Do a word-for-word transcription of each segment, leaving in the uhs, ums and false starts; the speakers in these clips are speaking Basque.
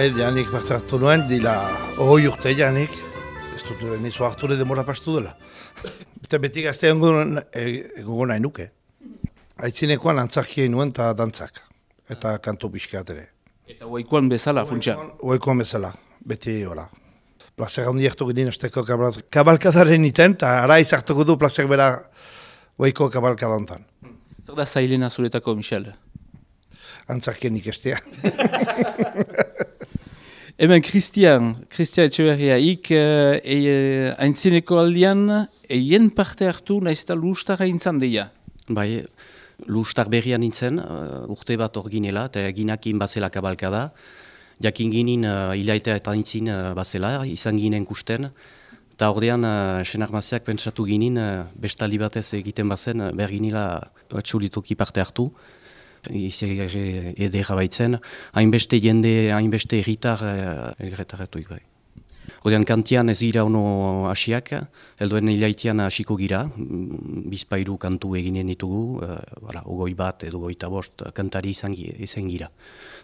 Bai, janik parte hartu nuen, dila hoi urte janik, ez dut nizu hartu demora pastu dela. Eta beti gazte egongo nahi nuke. Aitzinekoan antzarkia nuen eta dantzak, eta kanto pixkat ere. Eta oikoan bezala, funtsan? Oikoan bezala, beti hola. Plazer handi hartu ginen azteko kabalkadaren iten, eta ara izartuko du plazer bera oiko kabalkadantan. Zer da zailena zuretako, Michel? Antzarkien ikestea. Hemen, Christian, Christian Etxeberria, ik e, e, aintzineko aldian, eien parte hartu nahiz eta lustarra intzan deia? Bai, lustar berrian nintzen, uh, urte bat orginela, eta ginakin bazela kabalkada. Jakin ginen uh, ilaitea eta nintzin uh, bazela, izan ginen kusten. Eta ordean, uh, senarmaziak pentsatu ginen, uh, bestaldi batez egiten bazen, uh, berginila atxulitoki parte hartu. Izan edera baitzen, hainbeste jende, hainbeste erritar erretaratuik bai. Ordean kantian ez gira ono hasiak, helduen ilaitian hasiko gira, bizpairu kantu eginen ditugu, uh, ogoi bat edo goita bost kantari izan, izan gira.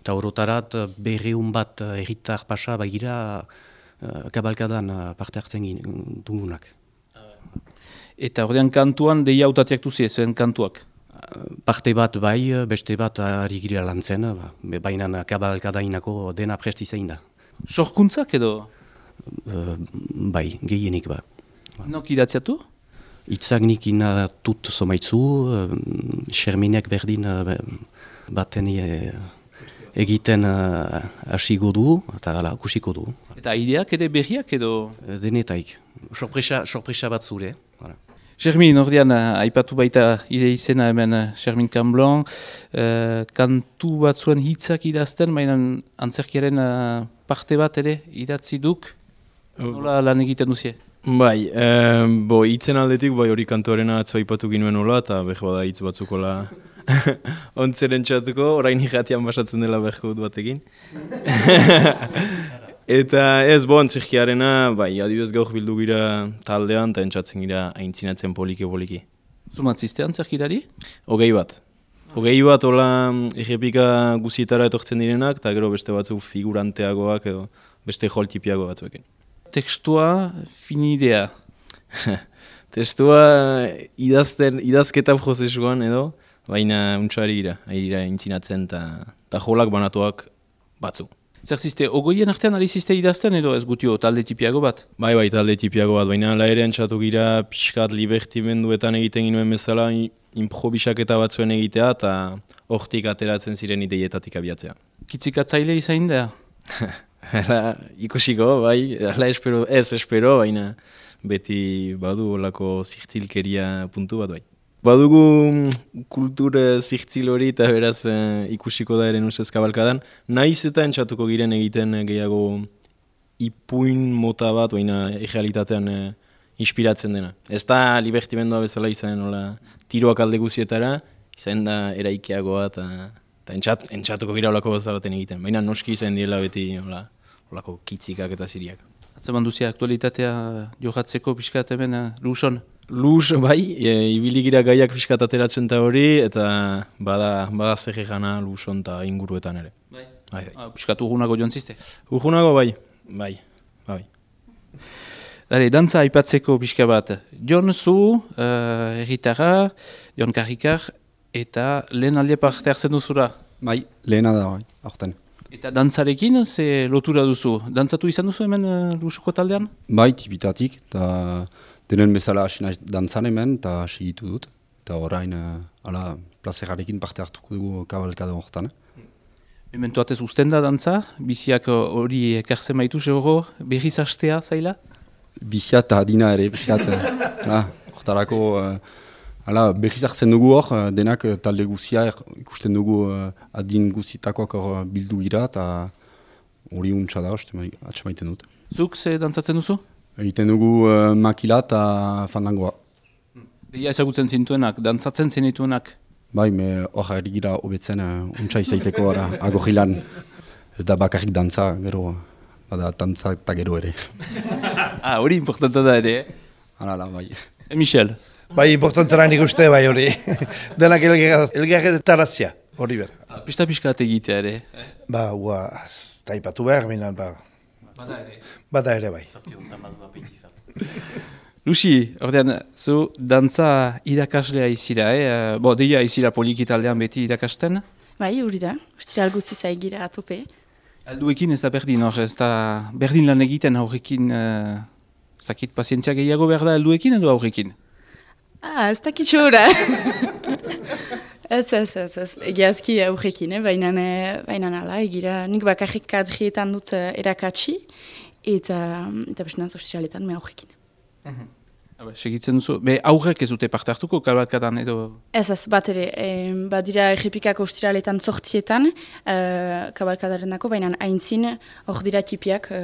Eta horotarat berreun bat erritar pasa bagira uh, kabalkadan parte hartzen dugunak. Eta ordean kantuan deia hautatiak duzie, zuen kantuak? Parte bat bai, beste bat ari gira lantzen, baina kabalkadainako dena presti zein da. Sorkuntzak edo? Uh, bai, gehienik ba. Nok idatziatu? Itzak nik inatut somaitzu, uh, Xerminek berdin uh, baten e, egiten hasigo uh, du, eta gala, kusiko du. Eta ideak ere berriak edo? Uh, denetaik, sorpresa, sorpresa bat zure. Voilà. Xermin, ordean, aipatu baita ide izena hemen Xermin Camblan, uh, kantu bat zuen hitzak idazten, baina antzerkiaren uh, parte bat ere idatzi duk, nola lan egiten duzie? Bai, eh, bo, hitzen aldetik, bai hori kantuarena atzo aipatu ginuen nola, eta behar bada hitz batzukola ontzeren txatuko, orain irratian basatzen dela behar batekin. Eta ez, bo, antzerkiarena, bai, adibidez gaur bildu gira taldean, eta entzatzen gira aintzinatzen poliki-poliki. Zumatzizte antzerkirari? Hogei bat. Hogei bat, hola, errepika guzietara etortzen direnak, eta gero beste batzuk figuranteagoak edo beste joltipiago batzuekin. Tekstua, finidea? Testua idazten, idazketa prozesuan edo, baina untxari gira, ari gira aintzinatzen eta jolak banatuak batzu. Zer ziste, ogoien artean ari ziste idazten edo ez gutio talde tipiago bat? Bai, bai, talde tipiago bat, baina ala ere entzatu gira pixkat libertimenduetan egiten ginuen bezala improvisaketa batzuen egitea eta hortik ateratzen ziren ideietatik abiatzea. Kitzikatzaile izain da? Hala, ikusiko, bai, hala espero, ez espero, baina beti badu olako zirtzilkeria puntu bat bai. Badugu kultur zirtzil hori eta beraz eh, ikusiko da eren usez kabalkadan. Naiz eta entzatuko giren egiten gehiago ipuin mota bat, baina errealitatean eh, inspiratzen dena. Ez da libertimendua bezala izan, nola, tiroak alde guzietara, izan da eraikeagoa eta entzat, entzatuko gira olako goza baten egiten. Baina noski izan diela beti nola, olako kitzikak eta ziriak. Atzeman duzia aktualitatea johatzeko pixkat hemen uh, Luson? Luz, bai, e, ibili gira gaiak pixkat ateratzen eta hori, eta bada, bada zer egana Luson eta inguruetan ere. Bai? Bai, bai. Ah, pixkat urgunago joan ziste? Urgunago bai, bai, bai. Dale, dantza aipatzeko pixka bat. Jon zu, uh, erritarra, Jon Karrikar, eta lehen alde parte hartzen duzura? Bai, lehena da, bai, aurten. Eta dantzarekin, ze lotura duzu? Dantzatu izan duzu hemen uh, Lusuko taldean? Bai, tipitatik, eta denen bezala hasi naiz dantzan hemen, eta hasi gitu dut. Eta orain, uh, ala, plazerarekin parte hartuko dugu kabalkada horretan. Eh? Mementuatez usten da dantza? Biziak hori ekartzen baitu, zehoro, berriz hastea zaila? Bizia eta adina ere, bizkat, horretarako, uh, ala, berriz hartzen dugu hor, denak talde guzia ikusten dugu uh, adin guzitakoak hor bildu gira, eta hori untsa da, atxamaiten dut. Zuk ze dantzatzen duzu? Egiten dugu uh, makila eta fandangoa. Deia ezagutzen zintuenak, dantzatzen zenituenak? Bai, me hor ari gira hobetzen uh, untsa izaiteko ara, agorrilan. Ez da bakarrik dantza, gero, bada dantza eta gero ere. Ah, hori importanta da ere, eh? Hala, bai. E, Michel? Bai, importantera nik uste bai hori. Denak elgarretaratzea. hori ber. Pista-piskat egitea ere. Ba, hua, taipatu behar, minan, ba. Bada ere. Bada ere bai. Luxi, ordean, zu dantza irakaslea izira, eh? Bo, deia izira polikitaldean beti irakasten? Bai, hori da. Ostiral guziz aigira atope. Alduekin ez da berdin, hor, ez da berdin lan egiten aurrekin, uh, ez dakit pazientzia gehiago behar da alduekin edo aurrekin? Ah, ez dakit xora. Ez, ez, ez, ez. Egiazki aurrekin, eh? baina baina nala, egira nik bakarrik kadrietan dut uh, erakatsi, eta, eta bestenaz ostiraletan me aurrekin. Uh-huh. Habe, segitzen duzu, be aurrek ez dute parte hartuko kabalkadan edo? Ez ez, bat ere, e, badira errepikako ostiraletan sortzietan, e, kabalkadaren dako, baina haintzin hor dira tipiak, e,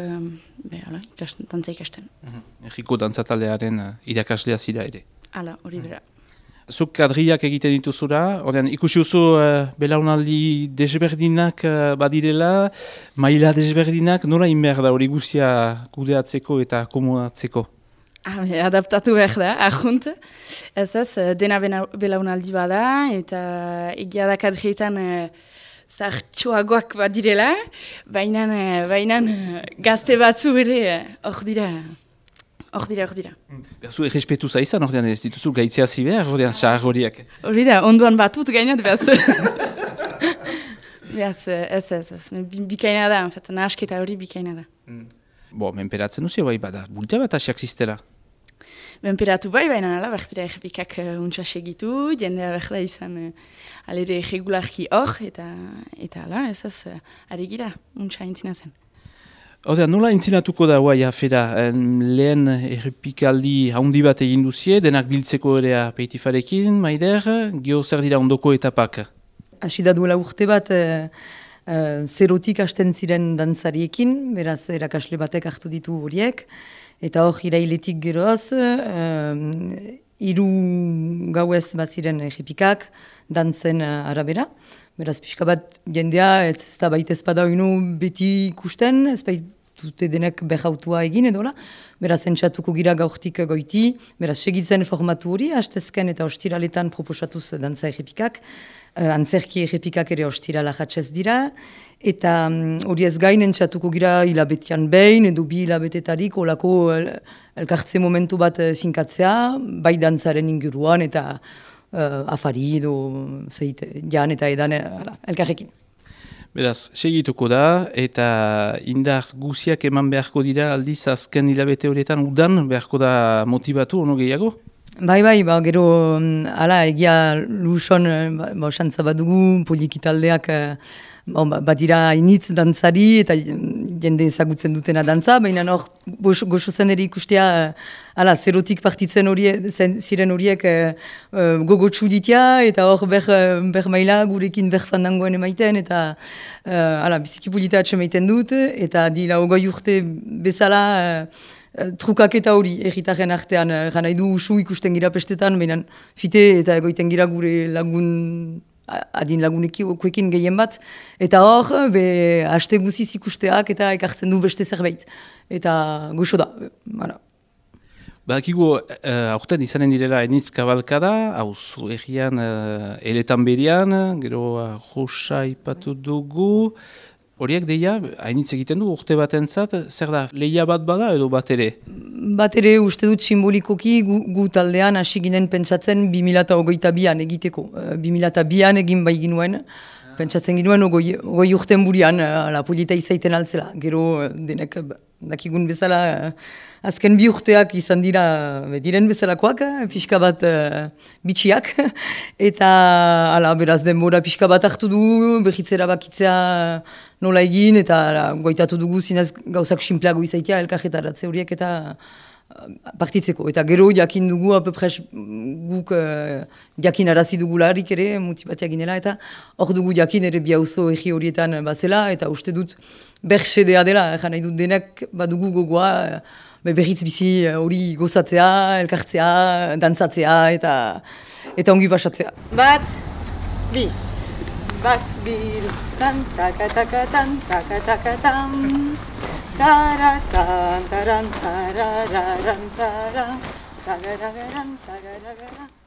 be, ala, ikasten, dantza ikasten. Uh-huh. Erriko dantzataldearen uh, irakaslea zira ere? Hala, hori bera. Zuk kadriak egiten dituzura, ordean ikusi duzu uh, belaunaldi desberdinak uh, badirela, maila desberdinak, nola inber da hori guzia kudeatzeko eta komodatzeko? Ah, adaptatu behar da, ahunt. Ez ez, dena belaunaldi bada, eta egia da kadrietan uh, zartxoagoak badirela, baina uh, gazte batzu ere hor dira. Hor dira, hor dira. Berzu, errespetu zaizan, ordean ez dituzu gaitzeazi behar, ordean xahar horiak. Hori da, onduan batut gainat, behaz. Behaz, ez, ez, ez. Bikaina da, en fet, nahasketa hori bikaina da. Mm. Bo, menperatzen duzio bai, bada, bultea bat asiak ziztela? Menperatu bai, baina nala, bertira errepikak uh, untsa segitu, jendea berda izan uh, alere regularki hor, eta, eta ala, ez ez, uh, ari gira, untsa intzina zen. Ordean, nola intzinatuko da guai afera, lehen errepikaldi haundi bat egin duzie, denak biltzeko ere peitifarekin, maider, gio zer dira ondoko etapak? Hasi da duela urte bat, uh, uh, zerotik hasten ziren dantzariekin, beraz erakasle batek hartu ditu horiek, eta hor irailetik geroz, uh, hiru gauez baziren errepikak, dantzen uh, arabera. Beraz, pixka bat jendea, ez da baita ezpada oinu beti ikusten, ez baitute denek behautua egin edola. Beraz, entzatuko gira gaurtik goiti, beraz, segitzen formatu hori, hastezken eta ostiraletan proposatuz dantza errepikak, uh, antzerki errepikak ere ostirala jatzez dira, eta hori um, ez gain entzatuko gira hilabetian behin, edo bi hilabetetarik olako el, elkartze momentu bat finkatzea, bai dantzaren inguruan eta Uh, afari edo zeit, jan eta edan uh, elkarrekin. Beraz, segituko da, eta indar guziak eman beharko dira aldiz azken hilabete horietan udan beharko da motibatu, ono gehiago? Bai, bai, ba, gero, ala, egia luson, ba, ba, xantza bat dugu, polikitaldeak, ba, badira hainitz dantzari, eta jende ezagutzen dutena dantza, baina hor, goxo zen ere ikustea, ala, zerotik partitzen horiek, ziren horiek uh, gogotsu ditia, eta hor ber, ber maila gurekin ber fandangoen emaiten, eta uh, ala, biziki polita atxemaiten dut, eta dila hogoi urte bezala, uh, trukak eta hori, erritaren artean, uh, gana edu usu ikusten gira pestetan, baina fite eta egoiten gira gure lagun, adin lagunekin gehien bat, eta hor, be, haste guziz ikusteak eta ekartzen du beste zerbait. Eta goxo da, bara. Bakigu, uh, aurten izanen direla enitz kabalkada, hau zu egian uh, eletan berian, gero uh, rosa ipatu dugu, horiek deia, hainitz egiten du urte batentzat, zer da, lehia bat bada edo bat ere? Bat ere uste dut simbolikoki gu, gu taldean hasi ginen pentsatzen bi mila hogeita bian egiteko. bi mila bian egin bai ginuen, pentsatzen ginuen ogoi, ogoi urten burian, la polita izaiten altzela. Gero denek dakigun bezala, azken bi urteak izan dira diren bezalakoak, pixka bat uh, bitxiak, eta ala, beraz denbora pixka bat hartu du, behitzera bakitzea nola egin, eta ala, goitatu dugu zinez gauzak sinpleago izaitea elkarretaratze horiek eta partitzeko. Eta gero jakin dugu, apepres guk uh, jakin arazi dugularik ere, motibatia ginela, eta hor dugu jakin ere biauzo egi horietan bazela, eta uste dut berxedea dela, egan nahi dut denek badugu gogoa, berriz bizi hori gozatzea, elkartzea, dantzatzea, eta, eta ongi pasatzea. Bat, bi, bat, bi, tan, taka, taka, tan, taka, taka, tan, taratan, taran, tarararan, taran, tarararan, tarararan.